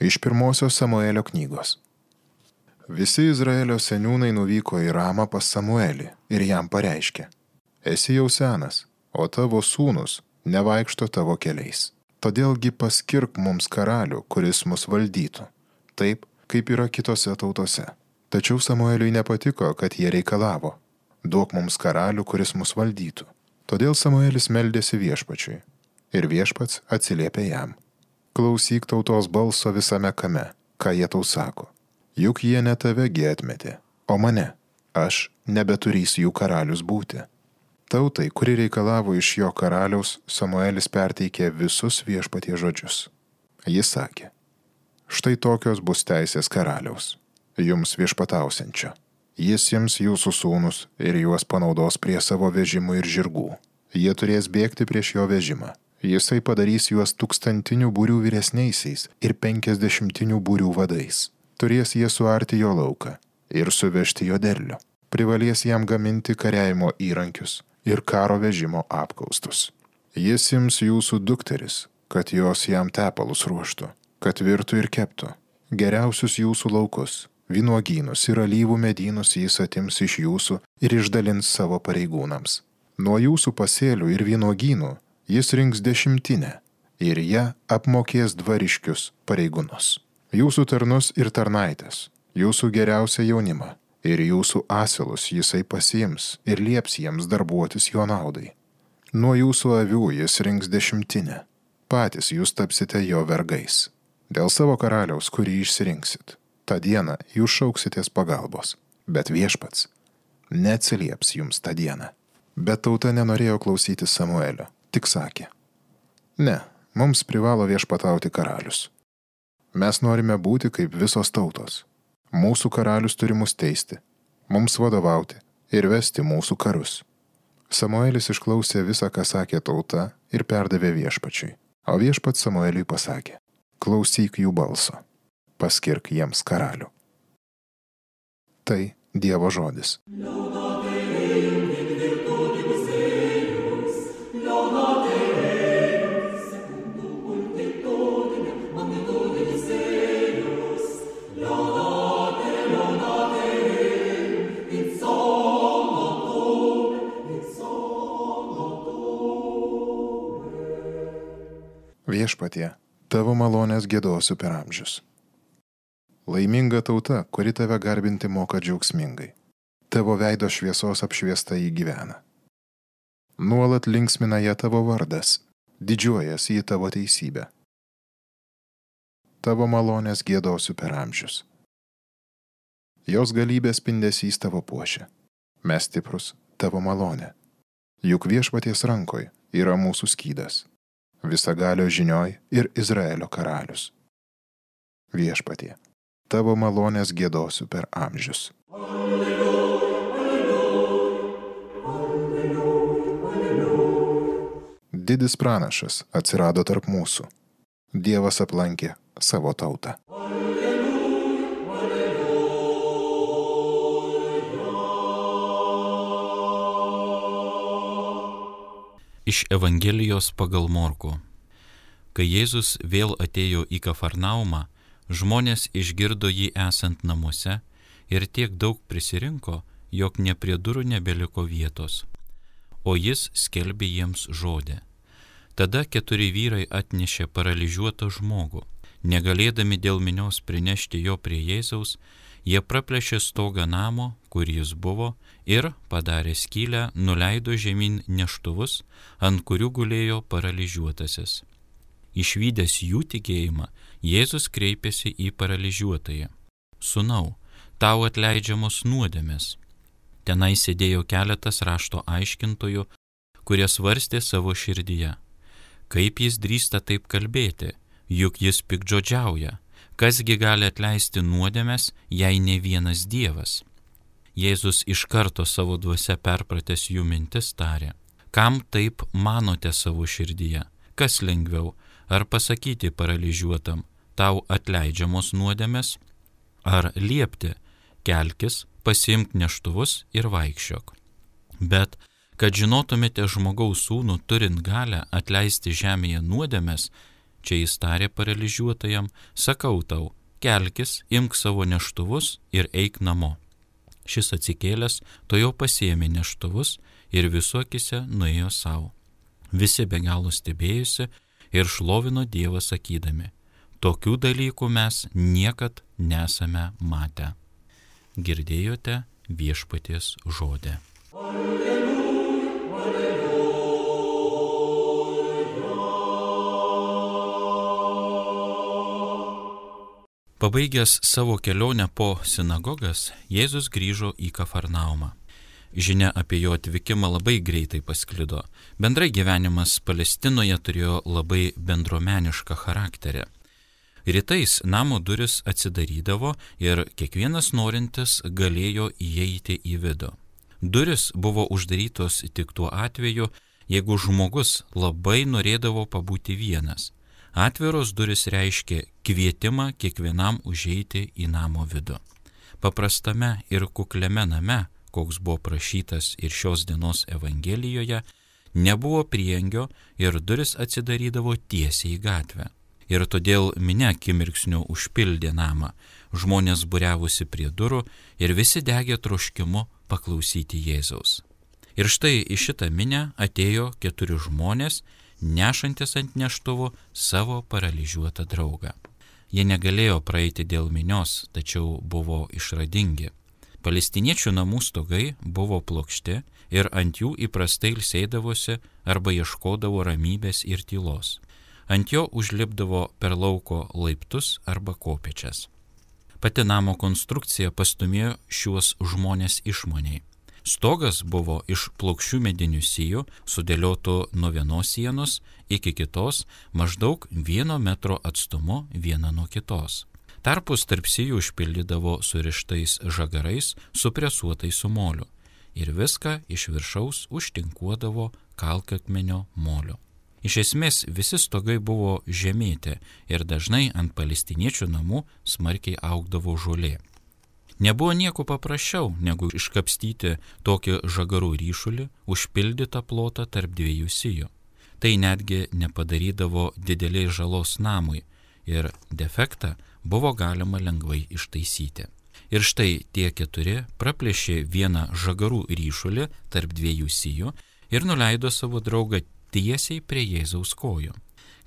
Iš 1 Samuelio knygos. Visi Izraelio seniūnai nuvyko į Ramą pas Samuelį ir jam pareiškė: esi jau senas, o tavo sūnus nevaikšto tavo keliais. Todėlgi paskirk mums karalių, kuris mus valdytų, taip, kaip yra kitose tautose. Tačiau Samueliui nepatiko, kad jie reikalavo: duok mums karalių, kuris mus valdytų. Todėl Samuelis meldėsi Viešpačiui. Ir Viešpats atsiliepė jam: klausyk tautos balso visame kame, ką jie tau sako. Juk jie ne tavegi atmetė, o mane. Aš nebeturys jų karalius būti. Tautai, kuri reikalavo iš jo karaliaus, Samuelis perteikė visus Viešpaties žodžius. Jis sakė: štai tokios bus teisės karaliaus, jums viešpatausiančio. Jis jiems jūsų sūnus ir juos panaudos prie savo vežimų ir žirgų. Jie turės bėgti prieš jo vežimą. Jisai padarys juos 1000 būrių vyresniaisiais ir 50 būrių vadais. Turės jie suarti jo lauką ir suvežti jo derlių. Privalės jam gaminti kariavimo įrankius ir karo vežimo apkaustus. Jis ims jūsų dukteris, kad jos jam tepalus ruoštų, kad virtų ir keptų. Geriausius jūsų laukus, vynuogynus ir alyvų medynus jis atims iš jūsų ir išdalins savo pareigūnams. Nuo jūsų pasėlių ir vynuogynų jis rinks 10 ir ją apmokės dvariškius pareigūnus. Jūsų tarnus ir tarnaitės, jūsų geriausią jaunimą ir jūsų asilus jisai pasiims ir lieps jiems darbuotis jo naudai. Nuo jūsų avių jis rinks 10, patys jūs tapsite jo vergais. Dėl savo karaliaus, kurį išsirinksit, tą dieną jūs šauksitės pagalbos, bet Viešpats neatsilieps jums tą dieną. Bet tauta nenorėjo klausyti Samuelio, tik sakė: ne, mums privalo viešpatauti karalius. Mes norime būti kaip visos tautos. Mūsų karalius turi mus teisti, mums vadovauti ir vesti mūsų karus. Samuelis išklausė visą, ką sakė tauta, ir perdavė Viešpačiui. O Viešpats Samueliui pasakė: klausyk jų balso, paskirk jiems karalių. Tai Dievo žodis. Viešpatie, tavo malonės giedosiu per amžius. Laiminga tauta, kuri tave garbinti moka džiaugsmingai. Tavo veido šviesos apšviesta jį gyvena. Nuolat linksmina ją tavo vardas, didžiuojas į tavo teisybę. Tavo malonės giedosiu per amžius. Jos galybės spindesys tavo puošia. Mes stiprus tavo malonė. Juk Viešpaties rankoj yra mūsų skydas. Visagalio žinioj ir Izraelio karalius. Viešpatie, tavo malonės giedosiu per amžius. Didis pranašas atsirado tarp mūsų. Dievas aplankė savo tautą. Iš Evangelijos pagal Morkų. Kai Jėzus vėl atėjo į Kafarnaumą, žmonės išgirdo jį esant namuose ir tiek daug prisirinko, jog ne prie durų nebeliko vietos. O jis skelbė jiems žodį. Tada 4 vyrai atnešė paralyžiuotą žmogų. Negalėdami dėl minios prinešti jo prie Jėzaus, jie praplėšė stogą namo, kur jis buvo, ir, padarę skylę, nuleido žemyn neštuvus, ant kurių gulėjo paralyžiuotasis. Išvydęs jų tikėjimą, Jėzus kreipėsi į paralyžiuotąjį: Sūnau, tau atleidžiamos nuodėmės. Tenai sėdėjo keletas rašto aiškintojų, kurie svarstė savo širdyje: kaip jis drįsta taip kalbėti, juk jis piktžodžiauja. Kasgi gali atleisti nuodėmes, jei ne vienas Dievas? Jėzus iš karto savo dvasia perpratęs jų mintis tarė: kam taip manote savo širdyje? Kas lengviau, ar pasakyti paralyžiuotam: tau atleidžiamos nuodėmes, ar liepti: kelkis, pasiimk neštuvus ir vaikščiok? Bet, kad žinotumėte žmogaus sūnų turint galę atleisti žemėje nuodėmes, Čia jis tarė paralyžiuotajam, sakau tau, kelkis, imk savo neštuvus ir eik namo. Šis atsikėlęs, tuojau pasiėmė neštuvus ir visų akyse nuėjo savo. Visi be galo stebėjusi ir šlovino Dievą sakydami, tokių dalykų mes niekad nesame matę. Girdėjote Viešpaties žodį. Pabaigęs savo kelionę po sinagogas, Jėzus grįžo į Kafarnaumą. Žinia apie jo atvykimą labai greitai pasklido. Bendrai gyvenimas Palestinoje turėjo labai bendruomenišką charakterį. Rytais namo duris atsidarydavo ir kiekvienas norintis galėjo įeiti į vidų. Duris buvo uždarytos tik tuo atveju, jeigu žmogus labai norėdavo pabūti vienas. Atviros duris reiškia kvietimą kiekvienam užeiti į namo vidų. Paprastame ir kukliame name, koks buvo prašytas ir šios dienos Evangelijoje, nebuvo priengio ir duris atsidarydavo tiesiai į gatvę. Ir todėl minia akimirksniu užpildė namą, žmonės būriavusi prie durų ir visi degė troškimu paklausyti Jėzaus. Ir štai į šitą minią atėjo 4 žmonės, nešantis ant neštuvų savo paralyžiuotą draugą. Jie negalėjo praeiti dėl minios, tačiau buvo išradingi. Palestiniečių namų stogai buvo plokšti ir ant jų įprastai ilsėdavosi arba ieškodavo ramybės ir tylos. Ant jo užlipdavo per lauko laiptus arba kopėčias. Pati namo konstrukcija pastūmėjo šiuos žmonės išmaniai. Stogas buvo iš plokščių medinių sijų, sudėliotų nuo vienos sienos iki kitos, maždaug 1 metro atstumu viena nuo kitos. Tarpus tarp sijų užpildydavo surištais žagarais supresuotais su moliu ir viską iš viršaus užtinkuodavo kalkakmenio moliu. Iš esmės visi stogai buvo žemėti ir dažnai ant palestiniečių namų smarkiai augdavo žolė. Nebuvo nieko paprasčiau, negu iškapstyti tokį žagarų ryšulį, užpildytą plotą tarp 2 sijų. Tai netgi nepadarydavo didelės žalos namui ir defektą buvo galima lengvai ištaisyti. Ir štai tie 4 praplėšė vieną žagarų ryšulį tarp 2 sijų ir nuleido savo draugą tiesiai prie Jėzaus kojų.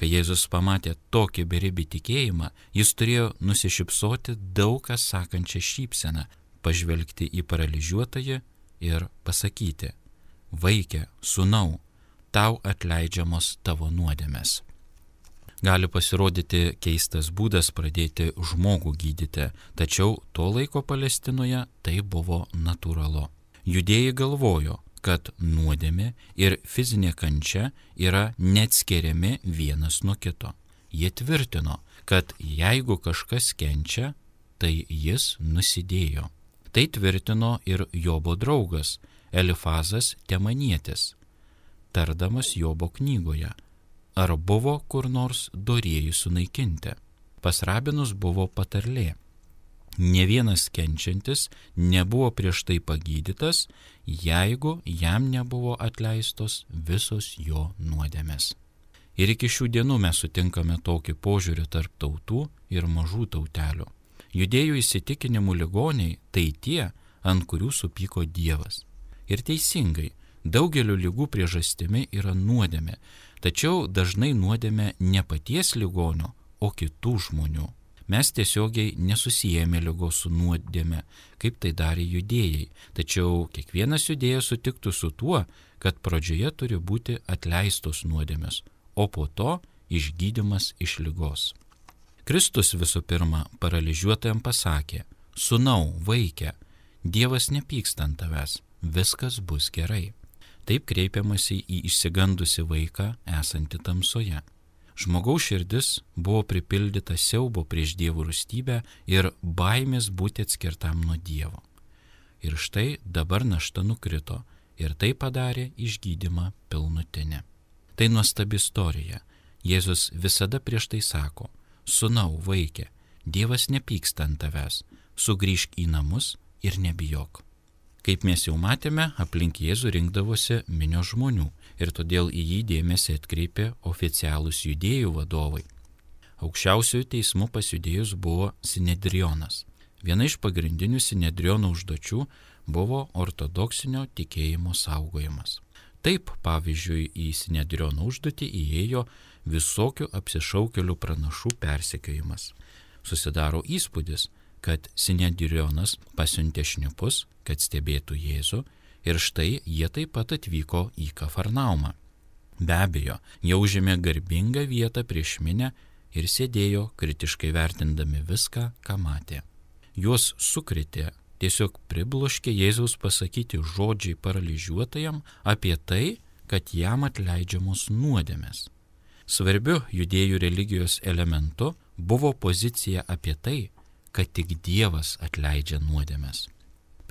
Kai Jėzus pamatė tokį beribį tikėjimą, jis turėjo nusišypsoti daug ką sakančią šypseną, pažvelgti į paralyžiuotąjį ir pasakyti, vaike, sūnau, tau atleidžiamos tavo nuodėmės. Gali pasirodyti keistas būdas pradėti žmogų gydyti, tačiau tuo laiko Palestinoje tai buvo natūralu. Judėjai galvojo, kad nuodėmė ir fizinė kančia yra neatskiriami vienas nuo kito. Jie tvirtino, kad jeigu kažkas kenčia, tai jis nusidėjo. Tai tvirtino ir Jobo draugas Elifazas Temanietis, tardamas Jobo knygoje, ar buvo kur nors dorieji sunaikinti. Pas rabinus buvo patarlė. Ne vienas kenčiantis nebuvo prieš tai pagydytas, jeigu jam nebuvo atleistos visos jo nuodėmės. Ir iki šių dienų mes sutinkame tokį požiūrį tarp tautų ir mažų tautelių. Judėjų įsitikinimų ligoniai tai tie, ant kurių supyko Dievas. Ir teisingai, daugelio ligų priežastimi yra nuodėmė, tačiau dažnai nuodėmė ne paties ligonio, o kitų žmonių. Mes tiesiogiai nesusijėmė ligos su nuodėme, kaip tai darė judėjai, tačiau kiekvienas judėjas sutiktų su tuo, kad pradžioje turi būti atleistos nuodėmės, o po to išgydymas iš ligos. Kristus visų pirma paralyžiuotajam pasakė, sūnau, vaike, Dievas nepyksta ant tavęs, viskas bus gerai. Taip kreipiamasi į išsigandusi vaiką esantį tamsoje. Žmogaus širdis buvo pripildyta siaubo prieš Dievo rūstybę ir baimės būti atskirtam nuo Dievo. Ir štai dabar našta nukrito ir tai padarė išgydymą pilnutinį. Tai nuostabi istorija. Jėzus visada prieš tai sako, sūnau, vaike, Dievas nepyksta ant tavęs, sugrįžk į namus ir nebijok. Kaip mes jau matėme, aplink Jėzų rinkdavosi minios žmonių ir todėl į jį dėmesį atkreipė oficialūs judėjų vadovai. Aukščiausiojo teismu pasjudėjus buvo Sinedrionas. Viena iš pagrindinių Sinedriono užduočių buvo ortodoksinio tikėjimo saugojimas. Taip, pavyzdžiui, į Sinedriono užduotį įėjo visokių apsišaukėlių pranašų persekiojimas. Susidaro įspūdis, kad Sinedrionas pasiuntė šnipus, kad stebėtų Jėzų, ir štai jie taip pat atvyko į Kafarnaumą. Be abejo, jie užėmė garbingą vietą prieš minią ir sėdėjo kritiškai vertindami viską, ką matė. Juos sukrėtė, tiesiog pribloškė Jėzaus pasakyti žodžiai paralyžiuotajam apie tai, kad jam atleidžiamos nuodėmės. Svarbiu judėjų religijos elementu buvo pozicija apie tai, kad tik Dievas atleidžia nuodėmes.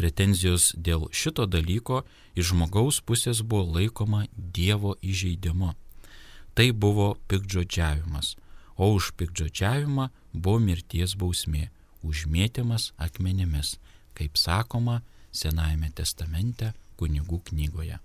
Pretenzijos dėl šito dalyko iš žmogaus pusės buvo laikoma Dievo įžeidimu. Tai buvo piktžodžiavimas, o už piktžodžiavimą buvo mirties bausmė, užmėtymas akmenimis, kaip sakoma Senajame testamente Kunigų knygoje.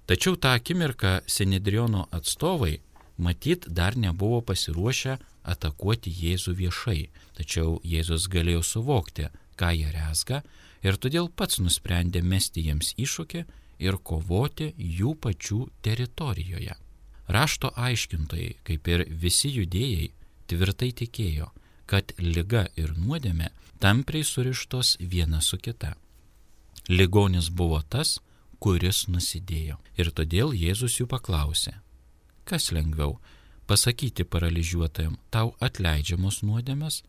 Tačiau tą akimirką Sinedriono atstovai matyt dar nebuvo pasiruošę atakuoti Jėzų viešai, tačiau Jėzus galėjo suvokti, ką jie rezga, ir todėl pats nusprendė mesti jiems iššūkį ir kovoti jų pačių teritorijoje. Rašto aiškintojai, kaip ir visi judėjai, tvirtai tikėjo, kad liga ir nuodėmė tampriai surištos viena su kita. Ligonis buvo tas, kuris nusidėjo. Ir todėl Jėzus jų paklausė, kas lengviau, pasakyti paralyžiuotajam, tau atleidžiamos nuodėmės,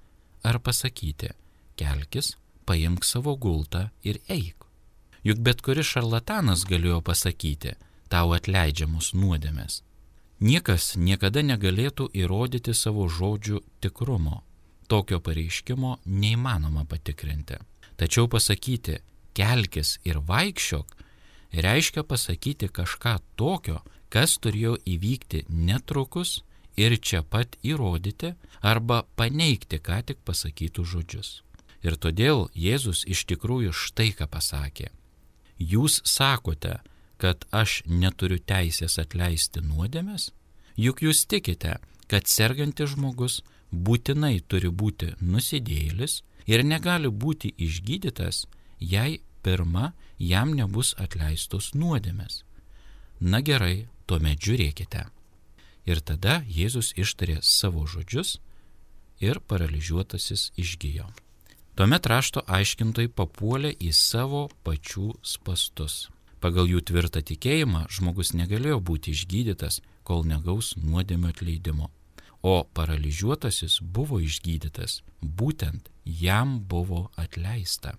ar pasakyti, kelkis, paimk savo gultą ir eik. Juk bet kuris šarlatanas galėjo pasakyti, tau atleidžiamos nuodėmės. Niekas niekada negalėtų įrodyti savo žodžių tikrumo. Tokio pareiškimo neįmanoma patikrinti. Tačiau pasakyti, kelkis ir vaikščiok, reiškia pasakyti kažką tokio, kas turėjo įvykti netrukus ir čia pat įrodyti arba paneigti ką tik pasakytų žodžius. Ir todėl Jėzus iš tikrųjų štai ką pasakė. Jūs sakote, kad aš neturiu teisės atleisti nuodėmes? Juk jūs tikite, kad sergantis žmogus būtinai turi būti nusidėjėlis ir negali būti išgydytas, jei pirma jam nebus atleistos nuodėmės. Na gerai, tuomet žiūrėkite. Ir tada Jėzus ištarė savo žodžius ir paralyžiuotasis išgijo. Tuomet rašto aiškintojai papuolė į savo pačių spastus. Pagal jų tvirtą tikėjimą žmogus negalėjo būti išgydytas, kol negaus nuodėmio atleidimo. O paralyžiuotasis buvo išgydytas, būtent jam buvo atleista.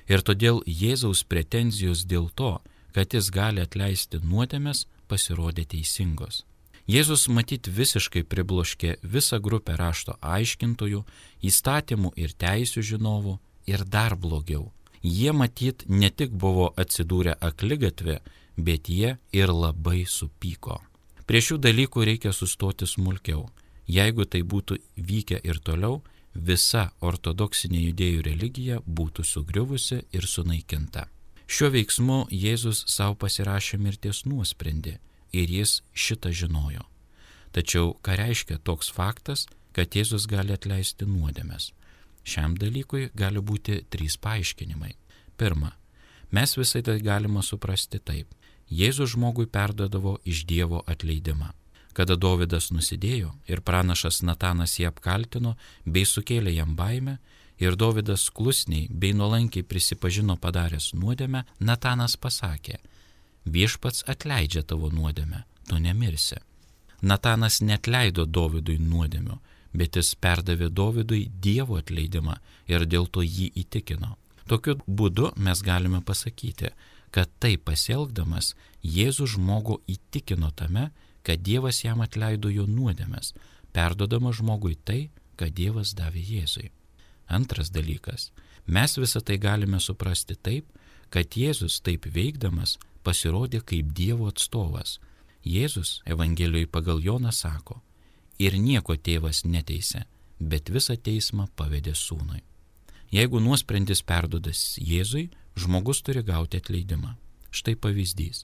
Ir todėl Jėzaus pretenzijos dėl to, kad jis gali atleisti nuodėmes, pasirodė teisingos. Jėzus matyt visiškai pribloškė visą grupę rašto aiškintojų, įstatymų ir teisių žinovų ir dar blogiau. Jie matyt ne tik buvo atsidūrę akligatvė, bet jie ir labai supyko. Prie šių dalykų reikia sustoti smulkiau. Jeigu tai būtų vykę ir toliau, visa ortodoksinė judėjų religija būtų sugriuvusi ir sunaikinta. Šiuo veiksmu Jėzus savo pasirašė mirties nuosprendį ir jis šitą žinojo. Tačiau ką reiškia toks faktas, kad Jėzus gali atleisti nuodėmes? Šiam dalykui gali būti 3 paaiškinimai. Pirma, mes visai tai galima suprasti taip. Jėzus žmogui perduodavo iš Dievo atleidimą. Kada Dovydas nusidėjo ir pranašas Natanas jį apkaltino bei sukėlė jam baimę, ir Dovydas klusniai bei nuolankiai prisipažino padaręs nuodėmę, Natanas pasakė, viešpats atleidžia tavo nuodėmę, tu nemirsi. Natanas neatleido Dovydui nuodėmių, bet jis perdavė Dovydui Dievo atleidimą ir dėl to jį įtikino. Tokiu būdu mes galime pasakyti, kad taip pasielgdamas Jėzus žmogų įtikino tame, kad Dievas jam atleido jo nuodėmes, perduodama žmogui tai, ką Dievas davė Jėzui. Antras dalykas, mes visą tai galime suprasti taip, kad Jėzus taip veikdamas pasirodė kaip Dievo atstovas. Jėzus Evangelijoje pagal Joną sako, ir nieko tėvas neteisė, bet visą teismą pavedė sūnui. Jeigu nuosprendis perduodas Jėzui, žmogus turi gauti atleidimą. Štai pavyzdys.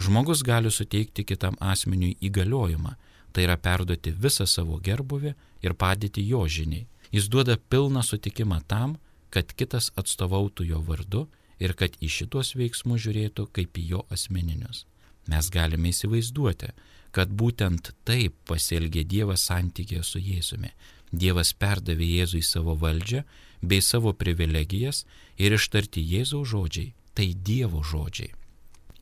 Žmogus gali suteikti kitam asmeniui įgaliojimą Tai yra perduoti visą savo gerbuvį ir padėti jo žiniai. Jis duoda pilną sutikimą tam, kad kitas atstovautų jo vardu ir kad į šitos veiksmus žiūrėtų kaip į jo asmeninius. Mes galime įsivaizduoti, kad būtent taip pasielgė Dievas santykėje su Jėzumi. Dievas perdavė Jėzui savo valdžią bei savo privilegijas ir ištarti Jėzaus žodžiai – tai Dievo žodžiai.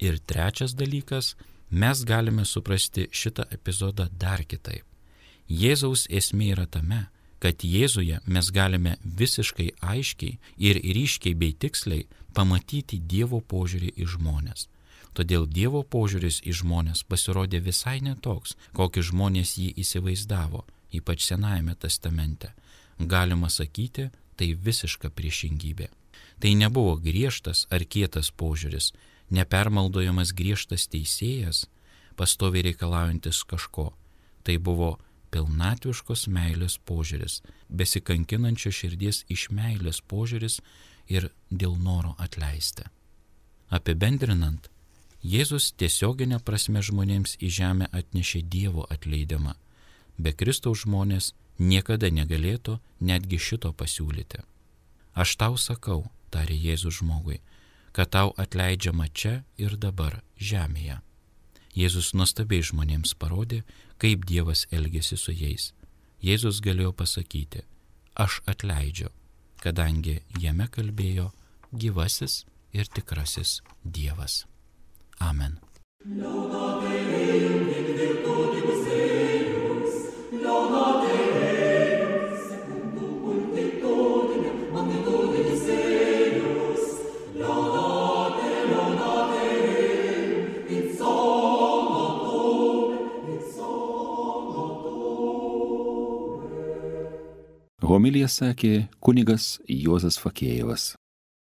Ir trečias dalykas, mes galime suprasti šitą epizodą dar kitaip. Jėzaus esmė yra tame, kad Jėzuje mes galime visiškai aiškiai ir ryškiai bei tiksliai pamatyti Dievo požiūrį į žmonės. Todėl Dievo požiūris į žmonės pasirodė visai netoks, kokį žmonės jį įsivaizdavo, ypač Senajame testamente. Galima sakyti, tai visiška priešingybė. Tai nebuvo griežtas ar kietas požiūris, nepermaldojamas griežtas teisėjas, pastoviai reikalaujantis kažko. Tai buvo pilnatviškos meilės požiūris, besikankinančio širdies iš meilės požiūris ir dėl noro atleisti. Apibendrinant, Jėzus tiesioginė prasme žmonėms į žemę atnešė Dievo atleidimą. Be Kristaus žmonės niekada negalėtų netgi šito pasiūlyti. Aš tau sakau, tarė Jėzus žmogui, kad tau atleidžiama čia ir dabar žemėje. Jėzus nuostabiai žmonėms parodė, kaip Dievas elgėsi su jais. Jėzus galėjo pasakyti, aš atleidžiu, kadangi jame kalbėjo gyvasis ir tikrasis Dievas. Amen. Homiliją sakė kunigas Juozas Fakėjevas.